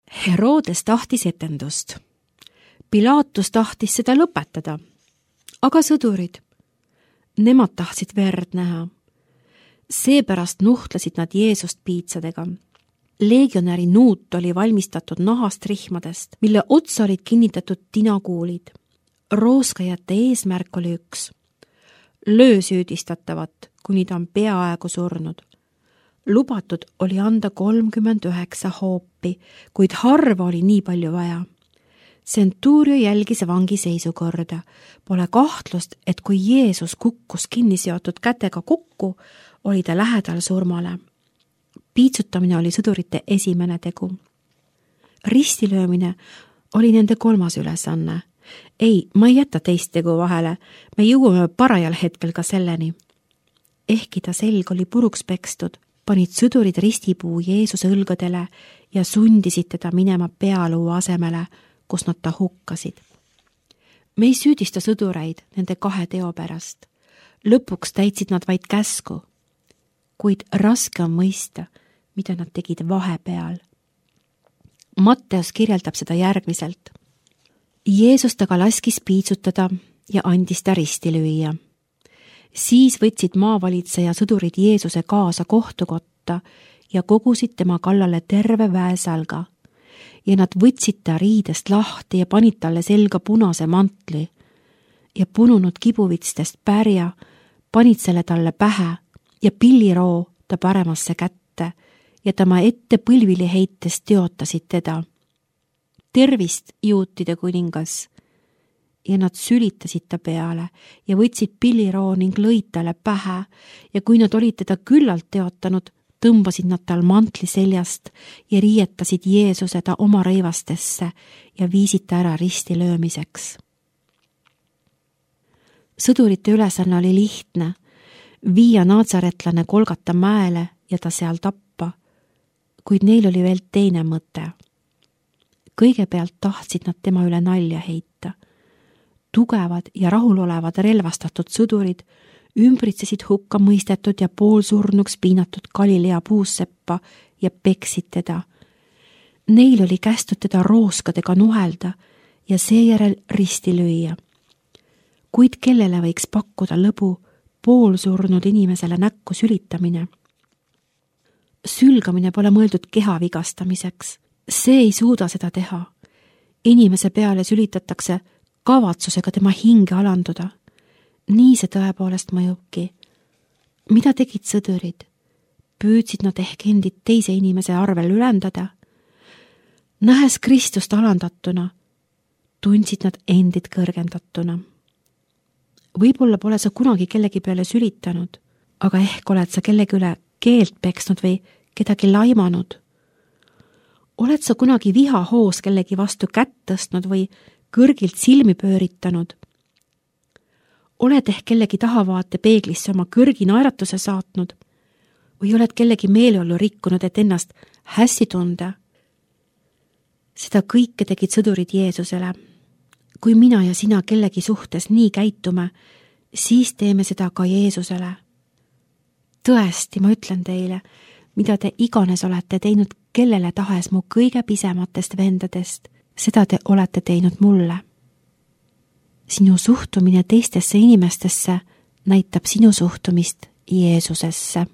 Herodes tahtis etendust. Pilatus tahtis seda lõpetada. Aga sõdurid, nemad tahtsid verd näha. Seepärast nuhtlesid nad Jeesust piitsadega. Legionäri nuut oli valmistatud nahast rihmadest, mille otsa olid kinnitatud tinakuulid. Rooskajate eesmärk oli üks. Löö süüdistatavat, kuni ta on peaaegu surnud. Lubatud oli anda 39 hoopi, kuid harva oli nii palju vaja. Centurio jälgis vangi seisukorda. Pole kahtlust, et kui Jeesus kukkus kinni seotud kätega kokku, oli ta lähedal surmale. Piitsutamine oli sõdurite esimene tegu. Ristilöömine oli nende 3. ülesanne. Ei, ma ei jäta teist tegu vahele, me jõuame parajal hetkel ka selleni. Ehkki ta selg oli puruks pekstud, panid sõdurid ristipuu Jeesuse õlgadele ja sundisid teda minema pealuu asemele, kus nad ta hukkasid. Me ei süüdista sõdureid nende 2 teo pärast. Lõpuks täitsid nad vaid käsku, kuid raske on mõista, mida nad tegid vahepeal. Matteus kirjeldab seda järgmiselt. Jeesus taga laskis piitsutada ja andis ta risti lüüa. Siis võtsid maavalitseja sõdurid Jeesuse kaasa kohtukotta ja kogusid tema kallale terve väesalga. Ja nad võtsid ta riidest lahti ja panid talle selga punase mantli ja pununud kibuvitstest pärja, panid selle talle pähe ja pilliroo ta paremasse kätte ja tema ette põlvili heites teotasid teda. Tervist, juutide kuningas! Ja nad sülitasid ta peale ja võtsid pilliroo ning lõid talle pähe ja kui nad olid teda küllalt teotanud, tõmbasid nad tal mantli seljast ja riietasid Jeesuse ta oma rõivastesse ja viisid ta ära risti löömiseks. Sõdurite ülesanne oli lihtne, viia naatsaretlane Golgata mäele ja ta seal tappa, kuid neil oli veel teine mõte. Kõigepealt tahtsid nad tema üle nalja heita. Tugevad ja rahulolevad relvastatud sõdurid ümbritsesid hukka mõistetud ja poolsurnuks piinatud Galilea puusseppa ja peksid teda. Neil oli kästud teda rooskadega nuhelda ja seejärel risti lüüa. Kuid kellele võiks pakkuda lõbu poolsurnud inimesele näkku sülitamine? Sülgamine pole mõeldud keha vigastamiseks. See ei suuda seda teha. Inimese peale sülitatakse kavatsusega tema hinge alanduda. Nii see tõepoolest mõjubki. Mida tegid sõdurid? Püüdsid nad ehk endid teise inimese arvel ülendada? Nähes Kristust alandatuna, tundsid nad endid kõrgendatuna. Võib-olla pole sa kunagi kellegi peale sülitanud, aga ehk oled sa kellegi üle keelt peksnud või kedagi laimanud. Oled sa kunagi vihahoos kellegi vastu kätt tõstnud või kõrgilt silmi pööritanud? Oled ehk kellegi tahavaate peeglisse oma kõrgi naeratuse saatnud või oled kellegi meeleolu rikkunud, et ennast hästi tunda? Seda kõike tegid sõdurid Jeesusele. Kui mina ja sina kellegi suhtes nii käitume, siis teeme seda ka Jeesusele. Tõesti, ma ütlen teile, mida te iganes olete teinud kellele tahes mu kõige pisematest vendadest, seda te olete teinud mulle. Sinu suhtumine teistesse inimestesse näitab sinu suhtumist Jeesusesse.